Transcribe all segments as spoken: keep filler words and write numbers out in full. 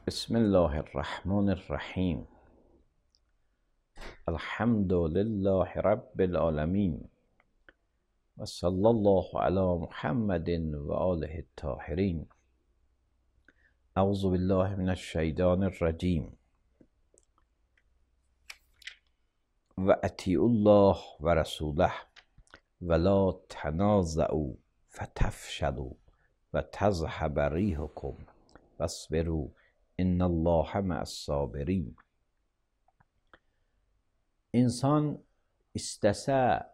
بسم الله الرحمن الرحیم. الحمد لله رب العالمین و صلی الله علی محمد و آله الطاهرین. اعوذ بالله من الشیطان الرجیم. و اطیعوا الله و رسوله ولا تنازعوا فتفشلوا و تذهب ریحکم واصبروا ان الله مع الصابرین. İnsan istəsə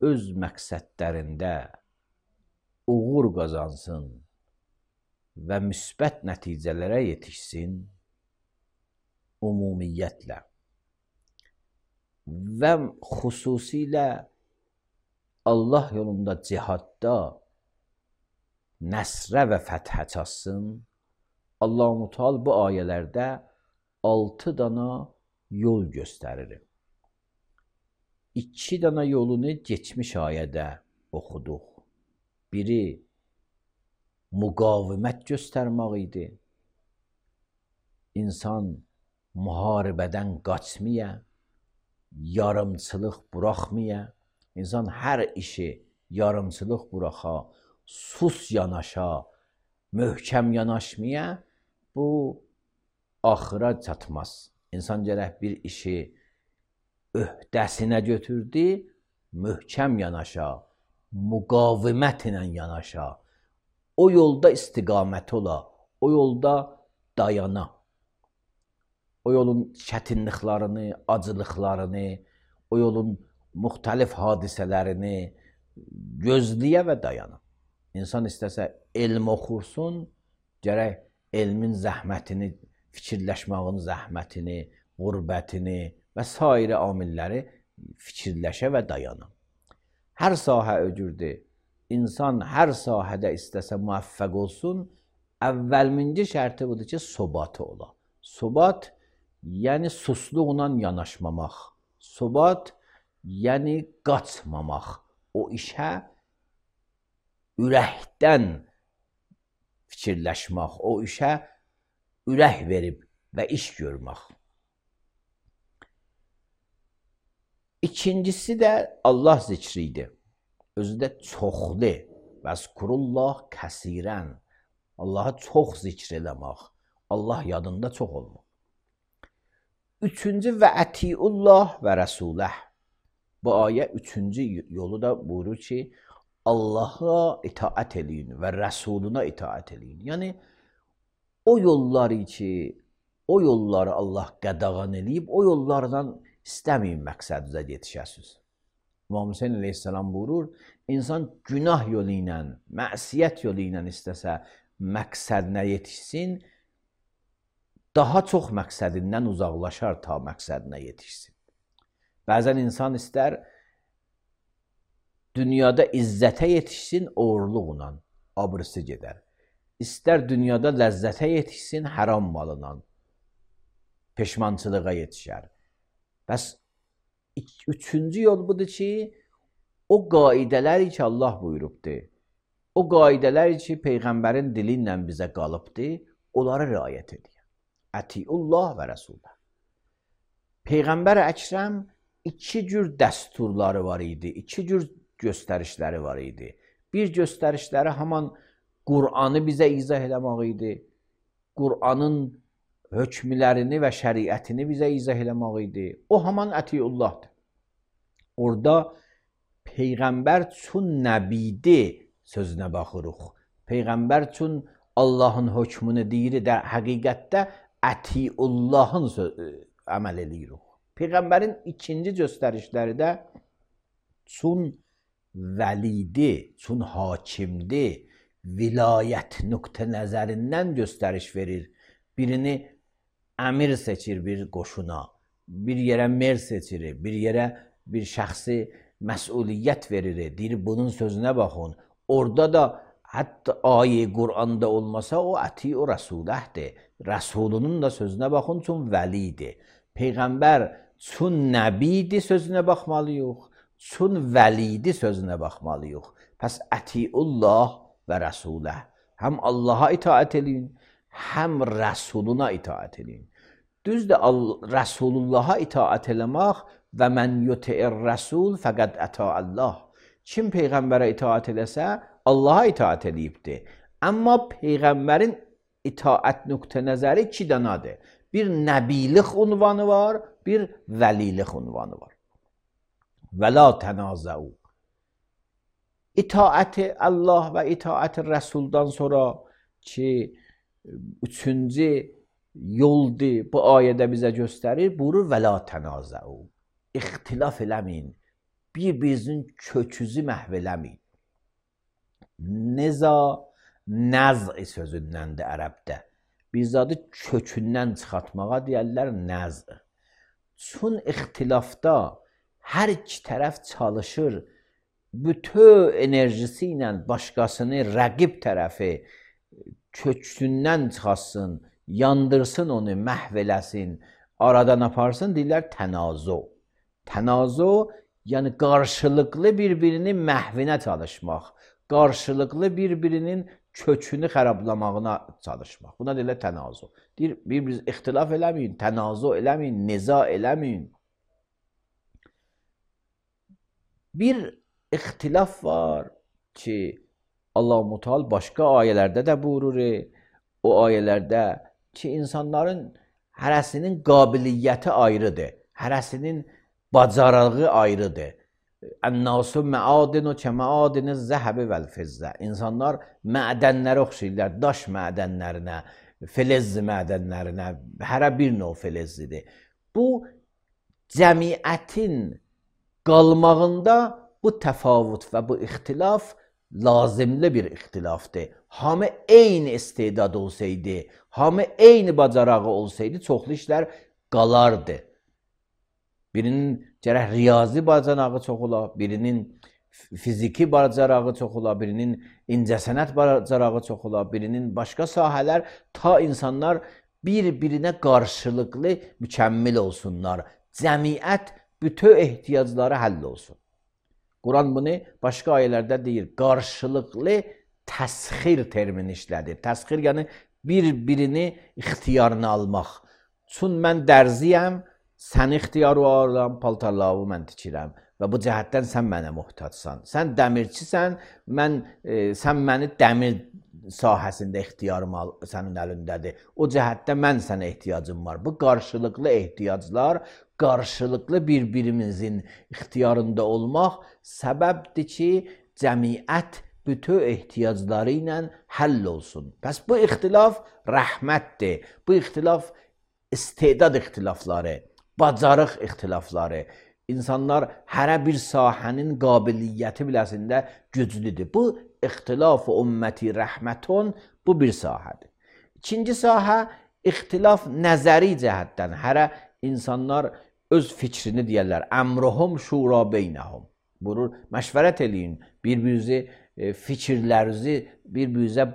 öz məqsədlərində uğur qazansın və müsbət nəticələrə yetişsin ümumiyyətlə və xüsusilə Allah yolunda cihadda nəsrə və fəthə çatsın. Allah-u Teala bu ayələrdə altı dana yol göstərir. İki dana yolunu geçmiş ayədə oxuduq. Biri müqavimət göstərmək idi. İnsan müharibədən qaçmaya, yarımçılıq buraxmaya, insan hər işi yarımçılıq buraxa, sus yanaşa, möhkəm yanaşmaya, bu axıra çatmaz. İnsan gərək bir işi öhdəsinə götürdü, möhkəm yanaşa, müqavimət ilə yanaşa, o yolda istiqamət ola, o yolda dayana, o yolun çətinliklərini, acılıqlarını, o yolun müxtəlif hadisələrini gözləyə və dayana. İnsan istəsə elm oxursun, gərək elmin zəhmətini, fikirləşməyin zəhmətini, qürbətini və sairə amilləri fikirləşə və dayana. Hər sahə öcürdür. İnsan hər sahədə istəsə müvəffəq olsun, əvvəlminci şərti budur ki, sobatı ola. Sobat, yəni susluqla yanaşmamaq. Sobat, yəni qaçmamaq. O işə ürəkdən fikirləşmək, o işə ürək verib və iş görmək. İkincisi də Allah zikri idi. Özü də çoxlu. Vəzkurullah kəsirən. Allah'a çox zikr eləmək. Allah yadında çox olmaq. Üçüncü və ətiullah və rəsuləh. Bu ayə üçüncü yolu da buyurur ki, Allah'a itaat eləyin və rəsuluna itaat eləyin. Yəni, o yolları ki, o yolları Allah qadağan eləyib, o yollardan istəməyin məqsədinizə yetişəsiniz. İmam Hüseyin əleyhissalam buyurur, insan günah yolu ilə, məsiyyət yolu ilə istəsə məqsədinə yetişsin, daha çox məqsədindən uzaqlaşar ta məqsədinə yetişsin. Bəzən insan istər dünyada izzətə yetişsin, oğurluqla, abrısı gedər. İstər dünyada ləzzətə yetişsin, haram malından, peşmançılığa yetişər. Bəs üçüncü yol budur ki, o qaidələr ki Allah buyurubdur, o qaidələr ki Peyğəmbərin dili ilə bizə qalıbdır, onlara riayət edir. Ətiullah və rəsulə. Peyğəmbər Əkrəm iki cür dəsturları var idi, iki cür göstərişləri var idi. Bir göstərişləri haman Qur'anı bizə izah eləmək idi. Qur'anın hökmlərini və şəriətini bizə izah eləmək idi. O haman ətiullahdır. Orada Peyğəmbər çün nəbidi sözünə baxırıq. Peyğəmbər çün Allahın hökmünü deyir də həqiqətdə ətiullahın əməl eləyirik. Peyğəmbərin ikinci göstərişləri də çün vəlidi, çün hakimdi, vilayət nöqtə nəzərindən göstəriş verir. Birini əmir seçir bir qoşuna, bir yerə mer seçir, bir yerə bir şəxsi məsuliyyət verir, deyir bunun sözünə baxın. Orada da hətta ayə Qur'anda olmasa o əti-u rəsuləhdir. Rəsulunun da sözünə baxın, çün vəlidir. Peyğəmbər çün nəbidi sözünə baxmalıyıq, çün vəlidi sözünə baxmalıyıq. Pəs ətiullah və rəsuləh. Həm Allaha itaət eləyin, həm rəsuluna itaət edin. Düzdür, Rəsulullaha itaət eləmək və mən yuti'ir rəsul fəqəd əta Allah. Kim Peyğəmbərə itaət eləsə, Allaha itaət edibdir. Amma Peyğəmbərin itaət nöqtə nəzəri iki dənədir. Bir nəbilik unvanı var, bir vəlilik unvanı var. Və la tənazəu. İtaəti Allah və itaəti Rəsuldan sonra ki, üçüncü yoldur, bu ayədə bizə göstərir, buyurur və la tənazəu. İxtilaf eləməyin, bir-birinizin köküzü məhv eləməyin. Neza, nəz sözündəndir ərəbdə. Biz adı kökündən çıxartmağa deyərlər nəz. Çün ixtilafda hər iki tərəf çalışır, bütün enerjisi ilə başqasını, rəqib tərəfi kökündən çıxarsın, yandırsın onu, məhv eləsin, aradan aparsın, deyirlər tənazo. Tənazo, yəni qarşılıqlı bir-birinin məhvinə çalışmaq, qarşılıqlı bir-birinin kökünü xərablamağına çalışmaq. Buna deyirlər tənazo. Deyir, bir-biriniz ixtilaf eləməyin, tənazo eləməyin, niza eləməyin. Bir ixtilaf var ki, Allah-u Muteal başqa ayələrdə də buyurur, o ayələrdə ki, insanların hərəsinin qabiliyyəti ayrıdır, hərəsinin bacarığı ayrıdır. Ən-nasu məadinu kəməadini zəhəbi vəl-fizzə. İnsanlar mədənlərə oxşayırlar, daş mədənlərinə, filiz mədənlərinə, hərə bir növ filizlidir. Bu, cəmiyyətin qalmağında bu təfavut və bu ixtilaf lazımlı bir ixtilafdır. Hamı eyni istedad olsaydı, hamı eyni bacarağı olsaydı, çoxlu işlər qalardı. Birinin gərək riyazi bacarağı çox ola, birinin fiziki bacarağı çox ola, birinin incəsənət bacarağı çox ola, birinin başqa sahələr, ta insanlar bir-birinə qarşılıqlı mükəmmil olsunlar. Cəmiyyət bütün ehtiyacları həll olsun. Quran bunu başqa ayələrdə deyir, qarşılıqlı təsxir termini işlədir. Təsxir yəni bir-birini ixtiyarını almaq. Çün mən dərziyəm, sən ixtiyarı alıram, paltarlarımı mən tikirəm və bu cəhətdən sən mənə muhtacsan. Sən dəmirçisən, mən, e, sən məni dəmir sahəsində ixtiyarım al, sənin əlindədir. O cəhətdə mən sənə ehtiyacım var. Bu qarşılıqlı ehtiyaclar, qarşılıqlı bir-birimizin ixtiyarında olmaq səbəbdir ki, cəmiyyət bütün ehtiyacları ilə həll olsun. Bəs bu ixtilaf rəhmətdir. Bu ixtilaf istedad ixtilafları, bacarıq ixtilafları. İnsanlar hərə bir sahənin qabiliyyəti biləsində güclüdür. Bu, ixtilaf-ı ümməti rəhmətun, bu bir sahədir. İkinci sahə, ixtilaf nəzəri cəhətdən. Hərə insanlar öz fikrini deyərlər. Əmruhum şura beynəhum. Buyurur, məşvərət eləyin, bir-birinizi, fikirlərinizi bir-birinizə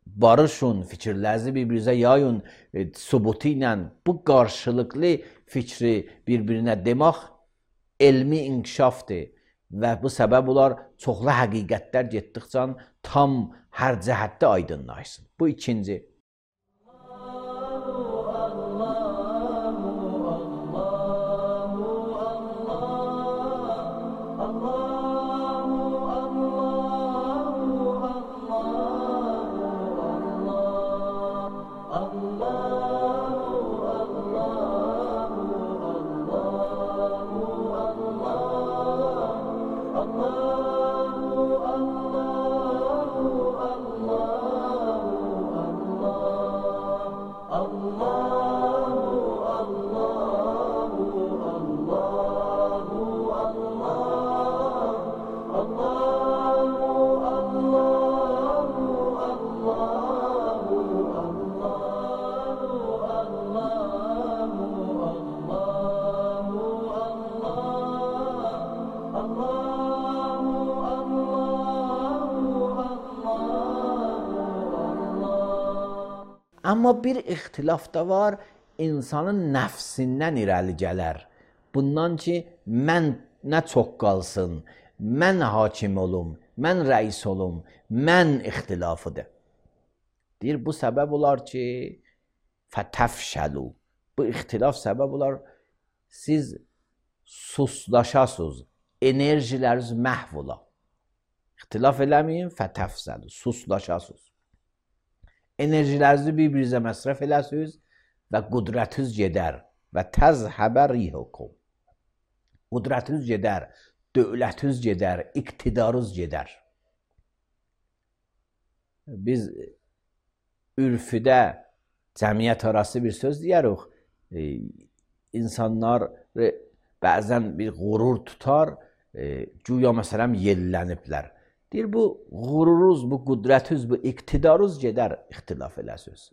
barışın, fikirlərinizi bir-birinizə yayın, e, subutu ilə bu qarşılıqlı fikri bir-birinə demək elmi inkişafdır və bu səbəb olar çoxlu həqiqətlər getdikcə tam hər cəhətdə aydınlaşsın. Bu ikinci. Amma bir ixtilaf da var, insanın nəfsindən irəli gələr. Bundan ki, mən nə çox qalsın, mən hakim olum, mən rəis olum, mən ixtilafıdır. Deyir, bu səbəb olar ki, fətəfşəlu. Bu ixtilaf səbəb olar, siz suslaşasınız, enerjiləriniz məhv ola. İxtilaf eləməyin, fətəfşəlu, suslaşasınız. Enerjilərinizi bir-birinizə məsrəf eləsiniz və qudrətiniz gedər və təzhəbə rihukum. Qudrətiniz gedər, dövlətiniz gedər, iqtidarınız gedər. Biz ürfüdə cəmiyyət arası bir söz deyərik. E, insanlar bəzən bir qurur tutar, e, güya məsələn yelləniblər. Deyir, bu qururuz, bu qudrətiniz, bu iqtidarınız gedər, ixtilaf eləsiniz.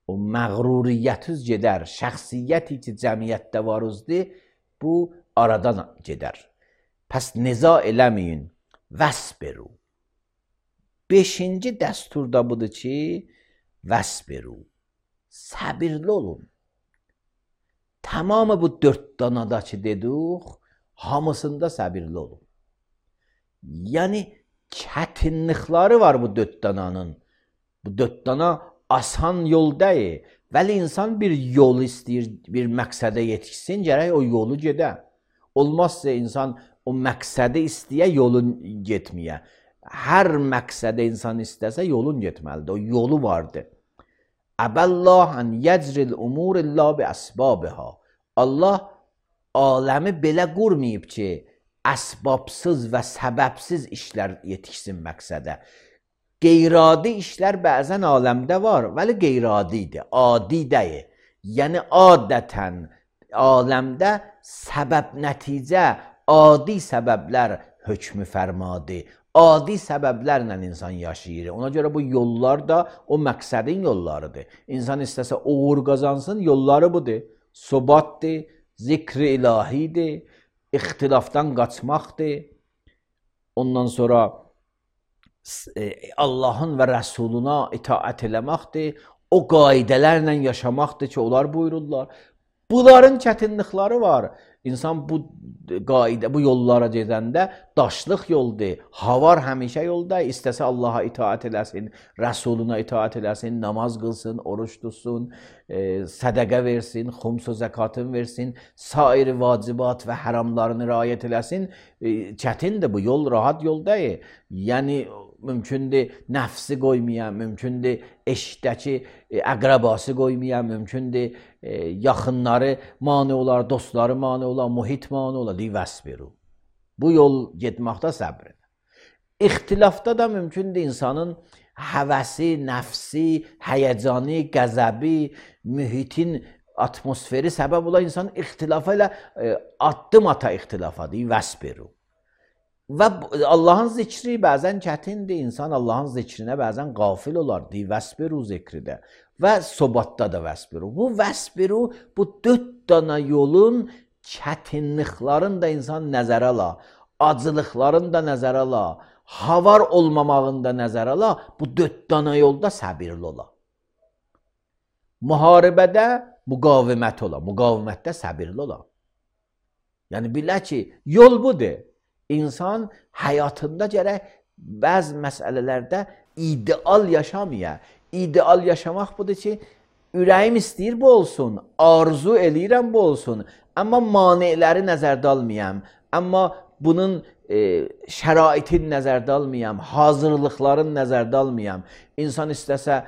O məğruriyyətiniz gedər, şəxsiyyəti ki, cəmiyyətdə varızdır, bu aradan gedər. Pəs niza eləməyin, vəsbiru. Beşinci dəsturda budur ki, vəsbiru. Səbirli olun. Tamamı bu dörd danada ki dedik, hamısında səbirli olun. Yəni, çətinlikləri var bu dörd dananın. Bu dörd dana asan yol deyil. Vəli insan bir yol istəyir, bir məqsədə yetişsin, gərək o yolu gedə. Olmazsa insan o məqsədi istəyə, yolun getməyə. Hər məqsədə insan istəsə, yolun getməlidir. O yolu vardır. Əbəllah ən yəcril umur illa bi əsbabiha. Allah aləmi belə qurmayıb ki, əsbabsız və səbəbsiz işlər yetişsin məqsədə. Qeyradi işlər bəzən aləmdə var, vəli qeyradidir, adi deyil. Yəni, adətən aləmdə səbəb nəticə, adi səbəblər hökmü fərmadır. Adi səbəblərlə insan yaşayır. Ona görə bu yollar da o məqsədin yollarıdır. İnsan istəsə uğur qazansın, yolları budur. Sobatdır, zikri ilahidir, ixtilafdan qaçmaqdır. Ondan sonra Allahın və Rəsuluna itaət eləməkdir. O qaidələrlə yaşamaqdır ki, onlar buyururlar. Bunların çətinlikləri var. İnsan bu qaidə, bu yollara gedəndə daşlıq yoldur. Havar həmişə yolda. İstəsə Allaha itaət eləsin, Rəsuluna itaət eləsin, namaz qılsın, oruç tutsun, e, sədəqə versin, xumsu zəkatın versin, sair vacibat və həramlarını riayət eləsin. E, çətindir bu yol, rahat yol deyil. Yəni, mümkündür nəfsi qoymaya, mümkündür eşdəki əqrəbası qoymaya, mümkündür e, yaxınları mane olar, dostları mane olar, mühit mane olar, deyir vəsbiru. Bu yol getməkdə səbr edir. İxtilafda da mümkündür insanın həvəsi, nəfsi, həyəcanı, qəzəbi, mühitin atmosferi səbəb ola insan ixtilafa ilə e, addım ata ixtilafa, deyir vəsbiru. Və Allahın zikri bəzən çətindir, insan Allahın zikrinə bəzən qafil olar, deyir vəsbiru zikridə və sobatda da vəsbiru. Bu vəsbiru, bu dörd dana yolun çətinliklərini də insan nəzərə ala, acılıqlarını da nəzərə ala, havar olmamağını da nəzərə ala, bu dörd dana yolda səbirli ola. Müharibədə müqavimət ola, müqavimətdə səbirli ola. Yəni, bilə ki, yol budur. İnsan həyatında gərək bəzi məsələlərdə ideal yaşamaya. İdeal yaşamaq budur ki, ürəyim istəyir bu olsun, arzu eləyirəm bu olsun, amma maneələri nəzərdə almayam, amma bunun e, şəraitin nəzərdə almayam, hazırlıqların nəzərdə almayam. İnsan istəsə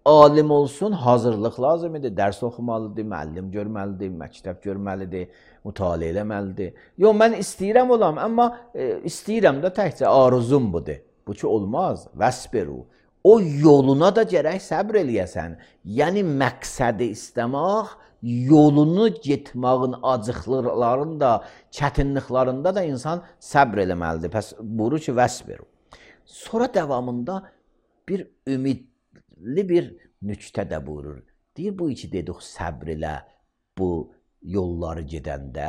alim olsun, hazırlıq lazım edir, dərs oxumalıdır, müəllim görməlidir, məktəb görməlidir, mütaliə eləməlidir. Yox, mən istəyirəm olam, amma e, istəyirəm də təkcə arzum budur. Bu ki, olmaz, vəsbiru. O yoluna da gərək səbr eləyəsən. Yəni, məqsədi istəmək, yolunu getmağın acıqlarında, çətinliklərində da insan səbr eləməlidir. Pəs, buyurur ki, vəsbiru. Sonra davamında bir ümidli bir nüktə də buyurur. Deyir, bu iki dedik, səbr elə bu yolları gedəndə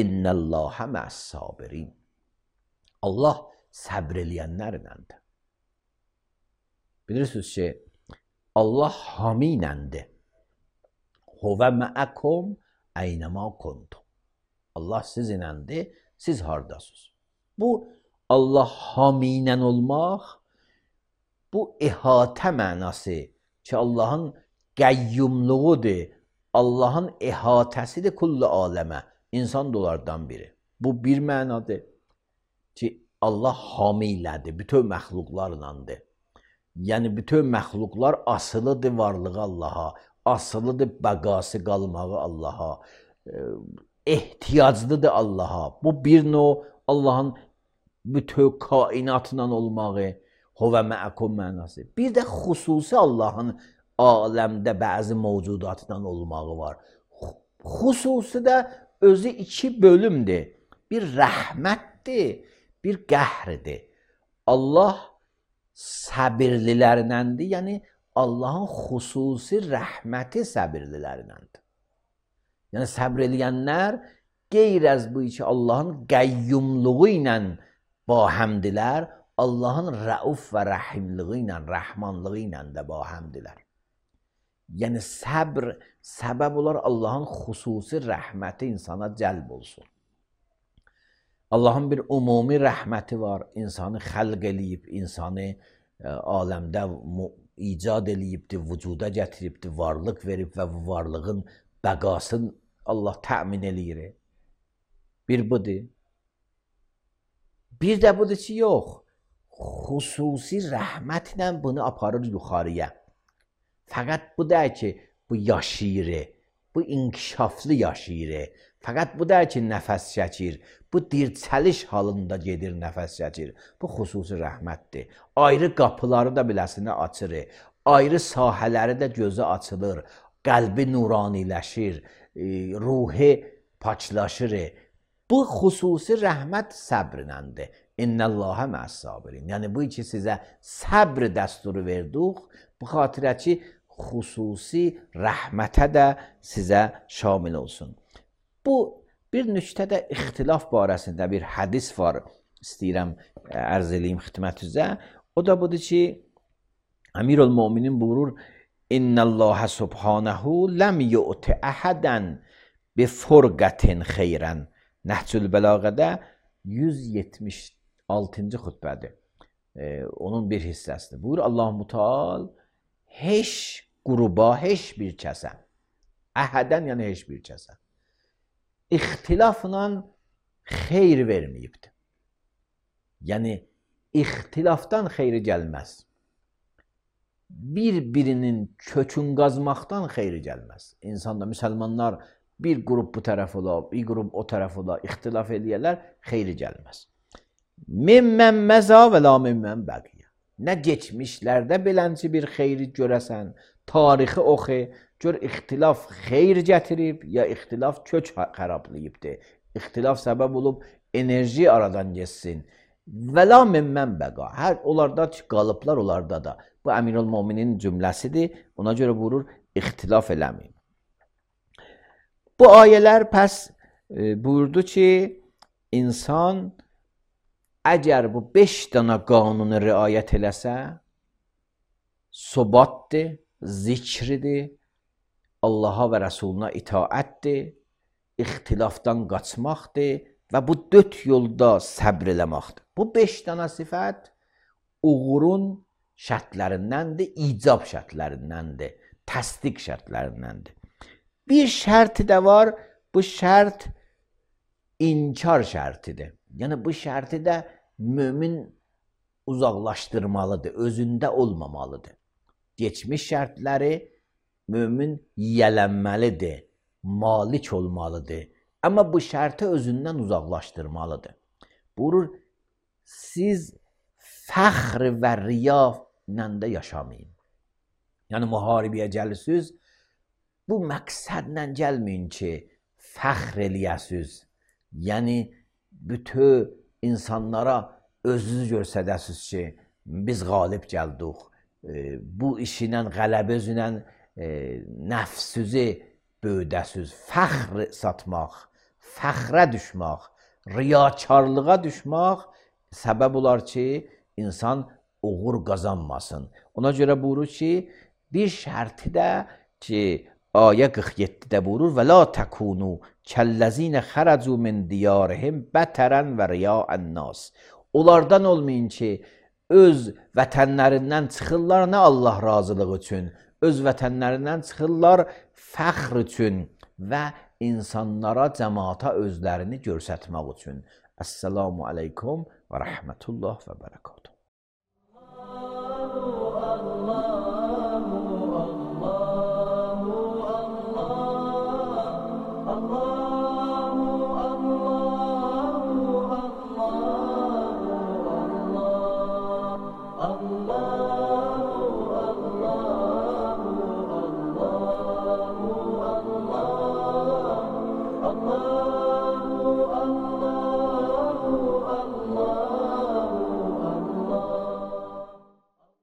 innəlləhə məs-sabirin. Allah səbr eləyənlərləndir. Bilirsiniz ki, Allah hami iləndir. Huvə məəkum əynəmə kuntum. Allah sizinlədir, siz hardasınız. Bu Allah hami ilə olmaq bu əhatə mənası ki, Allahın qəyyumluğudur, Allahın əhatəsidir kullu aləmə, insan da onlardan biri. Bu bir mənadır ki, Allah hamilədir, bütün məxluqlarlandır. Yəni, bütün məxluqlar asılıdır varlığı Allaha, asılıdır bəqası qalmağı Allaha, ehtiyaclıdır Allaha. Bu bir növ Allahın bütün kainatla olmağı, huvə məəkum mənası. Bir də xüsusi Allahın aləmdə bəzi mövcudatla olmağı var. Xüsusi də özü iki bölümdür. Bir rəhmətdir, bir qəhrdir. Allah səbirlilərindəndir, yəni Allahın xüsusi rəhməti səbirlilərindəndir. Yəni səbr eləyənlər qeyr əz bu ki, Allahın qəyyumluğu ilə bahəmdilər, Allahın rəuf və rəhimliği ilə, rəhmanlığı ilə də bahəmdilər. Yəni səbr səbəb olar Allahın xüsusi rəhməti insana cəlb olsun. Allahın bir ümumi rəhməti var, insanı xəlq eləyib, insanı ə, aləmdə icad eləyibdir, vücuda gətiribdir, varlıq verib və bu varlığın bəqasını Allah təmin eləyir. Bir budur. Bir də budur ki, yox, xüsusi rəhmətlə bunu aparır yuxarıya. Fəqət bu da ki, bu yaşayır, bu inkişaflı yaşayır. Fəqət bu da ki, nəfəs çəkir, bu dirçəliş halında gedir, nəfəs çəkir. Bu xüsusi rəhmətdir. Ayrı qapıları da biləsinə açır, ayrı sahələri də gözü açılır, qəlbi nuraniləşir, ruhi paçlaşır. Bu xüsusi rəhmət səbrləndir. İnnəllahə məs-sabirin. Yəni bu ki, sizə səbr dəsturu verdik, bu xatirə ki, xüsusi rəhmətə də sizə şamil olsun. Bu, bir nüktədə ixtilaf barəsində bir hədis var, istəyirəm ərz eləyim xidmətinizə. O da budur ki, Əmirül-Möminin buyurur, İnnəllahə subhanəhu ləm yu'ti əhədən bi furqətin xeyrən. Nəhcül Bəlağədə yüz yetmiş altıncı xütbədir. Ee, onun bir hissəsidir. Buyur Allah Müteal heç qruba, heç bir kəsə, əhədən yəni heç bir kəsə ixtilafla xeyr verməyibdir. Yəni, ixtilafdan xeyri gəlməz. Bir-birinin kökün qazmaqdan xeyri gəlməz. İnsanda, müsəlmanlar bir qrup bu tərəf ola, bir qrup o tərəf ola, ixtilaf eləyərlər, xeyri gəlməz. Mimmən məza və la mimmən bəqiyə. Nə geçmişlərdə belənci bir xeyri görəsən, tarixi oxu, gör ixtilaf xeyr gətirib, ya ixtilaf kök xərablayıbdır. İxtilaf səbəb olub, enerji aradan geçsin. Və la mimmən bəqa. Hər onlarda qalıblar, onlarda da. Bu Əmirül-Möminin cümləsidir. Ona görə buyurur, ixtilaf eləməyin. Bu ayələr pəs e, buyurdu ki, insan əgər bu beş dana qanunu riayət eləsə, sobatdır, zikridir, Allaha və Rəsuluna itaətdir, ixtilafdan qaçmaqdır və bu dörd yolda səbr eləməkdir. Bu beş dana sifət uğurun şərtlərindəndir, icab şərtlərindəndir, təsdiq şərtlərindəndir. Bir şərti də var, bu şərt inkar şərtidir. Yəni bu şərti də mömin uzaqlaşdırmalıdır, özündə olmamalıdır. Geçmiş şərtləri mömin yiyələnməlidir, malik olmalıdır. Amma bu şərti özündən uzaqlaşdırmalıdır. Buyurur, siz fəxr və riya ilə də yaşamayın. Yəni müharibəyə gəlirsiniz, bu məqsədlə gəlməyin ki, fəxr eləyəsiniz. Yəni bütün insanlara özünüzü görsədəsiniz ki, biz qalib gəldik. E, bu işlə, qələbə üzlə e, nəfsüzü böyüdəsiniz. Fəxr satmaq, fəxrə düşmək, riyakarlığa düşmək səbəb olar ki, insan uğur qazanmasın. Ona görə buyurur ki, bir şərti də ki, ayə qırx yeddidə buyurur və la təkunu kəlləzinə xərəcu min diyarihim bətərən və riya'ən nas. Onlardan olmayın ki, öz vətənlərindən çıxırlar nə Allah razılığı üçün, öz vətənlərindən çıxırlar fəxr üçün və insanlara, cəmaata özlərini göstərmək üçün. Əssalamu aleykum və rəhmətullah və bərəkatuhu.